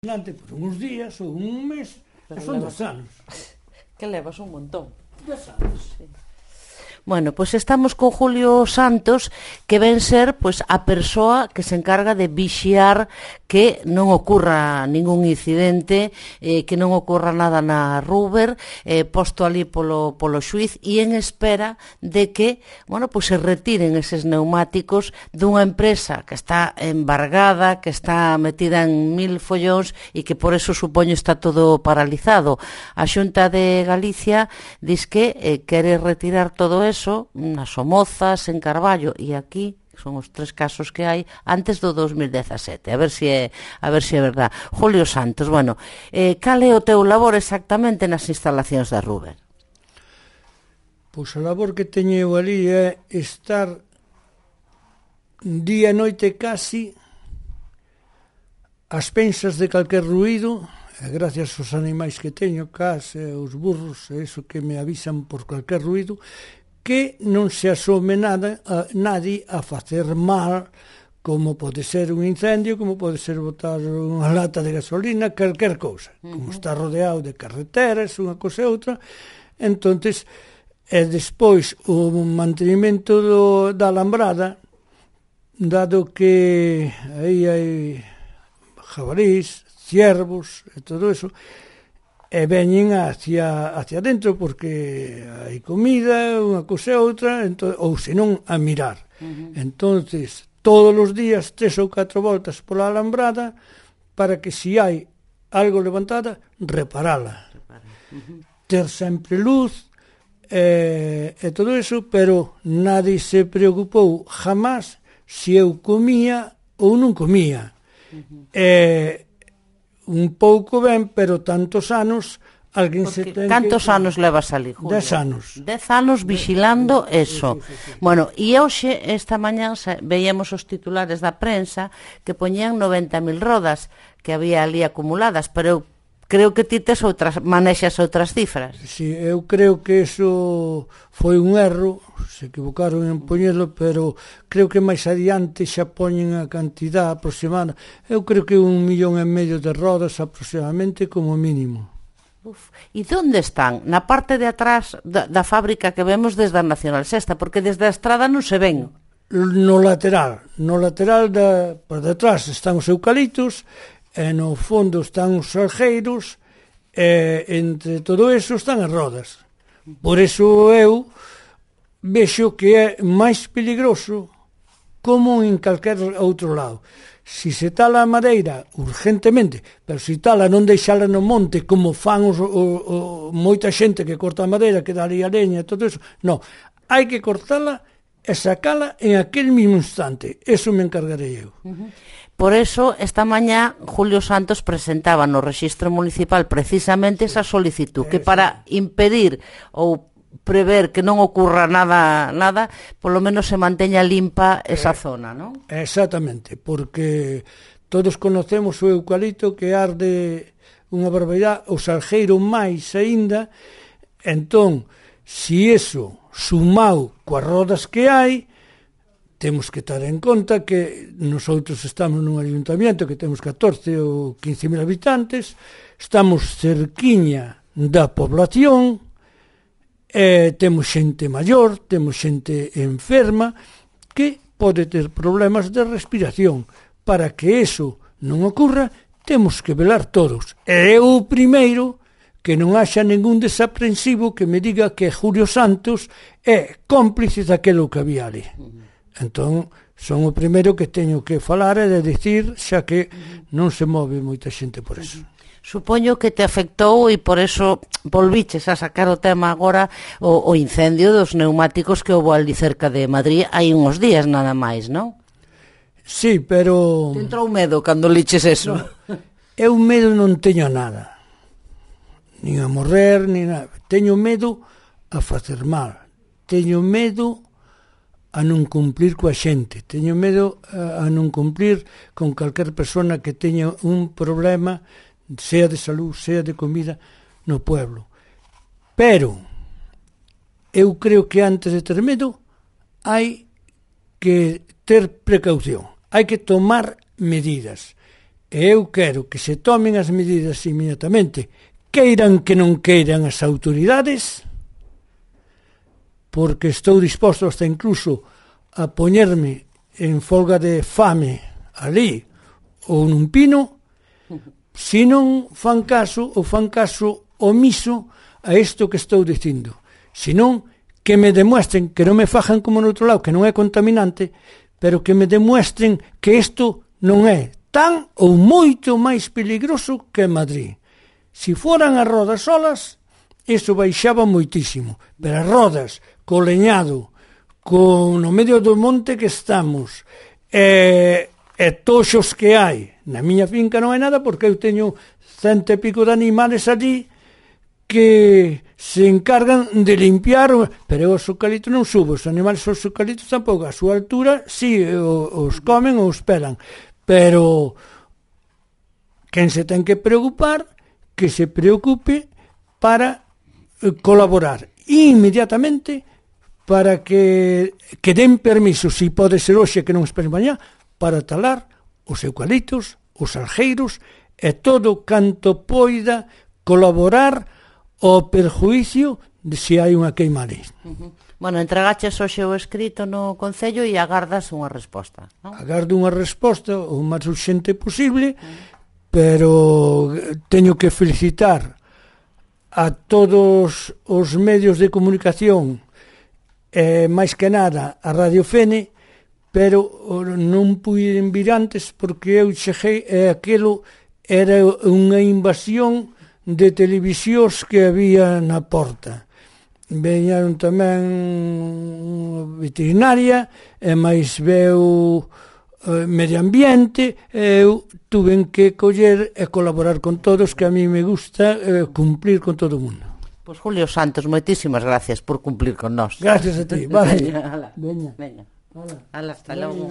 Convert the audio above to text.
Adelante por uns días ou un mes, e son 2 anos. Que levas un montón. 2 anos. Sí. Bueno, pois estamos con Julio Santos, que ven ser pois a persoa que se encarga de vixiar que non ocurra ningún incidente, que non ocurra nada na Ruber, posto ali polo xuiz e en espera de que, bueno, pois se retiren eses neumáticos dunha empresa que está embargada, que está metida en 1000 follóns e que por eso supoño está todo paralizado. A Xunta de Galicia diz que quere retirar todo eso nas Somozas, en Carballo e aquí son os 3 casos que hai antes do 2017, a ver se é verdad. Julio Santos, bueno, cal é o teu labor exactamente nas instalacións da Ruber? Pois a labor que teño eu ali é estar día e noite casi ás pensas de calquer ruído, e gracias aos animais que teño, cas, os burros, e iso que me avisan por calquer ruído, que non se asome nadie a facer mal, como pode ser un incendio, como pode ser botar unha lata de gasolina, calquer cousa. Como está rodeado de carreteras, unha cousa e outra, entonces, e despois o mantenimento da alambrada, dado que aí hai jabalís, ciervos e todo eso, e veñen hacia dentro porque hai comida, unha cousa e outra, ou senón a mirar. Entonces, todos os días 3 ou 4 voltas pola alambrada para que se hai algo levantada, reparala. Ter sempre luz e todo eso, pero nadie se preocupou jamás se eu comía ou non comía. Un pouco ben, pero tantos anos alguén se ten cantos anos levas ali, Julio? 10 anos. 10 anos vigilando eso. Sí. Bueno, e hoxe, esta mañá, veíamos os titulares da prensa que poñían 90.000 rodas que había ali acumuladas, pero eu creo que ti tes manexas outras cifras. Sí, eu creo que eso foi un erro, se equivocaron en poñelo, pero creo que máis adiante xa poñen a cantidad aproximada. Eu creo que 1,5 millón de rodas aproximadamente como mínimo. E onde están? Na parte de atrás da fábrica que vemos desde a Nacional Sexta, porque desde a estrada non se ven. No lateral por detrás están os eucaliptos, e no fondo están os salgueiros, e entre todo eso están as rodas. Por eso eu vexo que é máis peligroso como en calquer outro lado. Si se tala a madeira urgentemente, pero si tala non deixala no monte como fan moita xente que corta a madeira, que dá ali a leña e todo eso, non, hai que cortala e sacala en aquel mismo instante. Eso me encargarei eu. Por eso, esta mañá, Julio Santos presentaba no Rexistro Municipal precisamente esa solicitud, que para impedir ou prever que non ocurra nada, polo menos se manteña limpa esa zona, non? Exactamente, porque todos conocemos o eucalipto que arde unha barbaridade, o salgueiro máis aínda, entón, si eso sumado coas rodas que hai, temos que ter en conta que nosotros estamos nun ayuntamiento que temos 14 ou 15.000 habitantes, estamos cerquiña da población, temos xente maior, temos xente enferma que pode ter problemas de respiración. Para que eso non ocurra, temos que velar todos. E eu o primeiro que non haxa ningún desaprensivo que me diga que Julio Santos é cómplice daquilo que había ali. Entón, son o primeiro que teño que falar e de dicir, xa que non se move moita xente por eso. Supoño que te afectou e por eso volviches a sacar o tema agora, o incendio dos neumáticos que houve ali cerca de Madrid hai uns días nada máis, non? Sí, pero... Te entrou medo cando liches eso? No, eu medo non teño nada. Nin a morrer, nin nada. Teño medo a facer mal. Teño medo a non cumplir coa xente, teño medo a non cumplir con calquer persona que teña un problema, sea de salud, sea de comida, no pueblo. Pero eu creo que antes de ter medo hai que ter precaución, hai que tomar medidas. E eu quero que se tomen as medidas inmediatamente, queiran que non queiran as autoridades, porque estou disposto hasta incluso a poñerme en folga de fame ali ou nun pino, se non fan caso ou fan caso omiso a isto que estou dicindo. Se non, que me demuestren, que non me fajan como no outro lado, que non é contaminante, pero que me demuestren que isto non é tan ou moito máis peligroso que Madrid. Se foran as rodas solas, iso baixaba moitísimo, pero as rodas, co leñado, no medio do monte que estamos, e toxos que hai, na miña finca non hai nada, porque eu teño 100 e pico de animales allí que se encargan de limpiar, pero os eucaliptos non subo, os animales os eucaliptos tampouco, a súa altura, si, os comen ou os pelan, pero quen se ten que preocupar, que se preocupe para colaborar inmediatamente para que den permiso, se pode ser hoxe que non esperen mañá, para talar os eucaliptos, os algeiros e todo canto poida colaborar ao perjuicio de se hai unha queima ali. Bueno, entregaches hoxe o escrito no Concello e agardas unha resposta, non? Agardo unha resposta o máis urxente posible, pero teño que felicitar a todos os medios de comunicación, máis que nada a Radio Fene, pero non puiden vir antes porque eu cheguei e aquilo era unha invasión de televisións que había na porta. Veñaron tamén veterinaria e máis veu medio ambiente, eu tuven que coller e colaborar con todos, que a mí me gusta cumplir con todo o mundo. Pois Julio Santos, moitísimas gracias por cumplir con nós. Gracias a ti. Vale. Veña. Ala, hasta logo.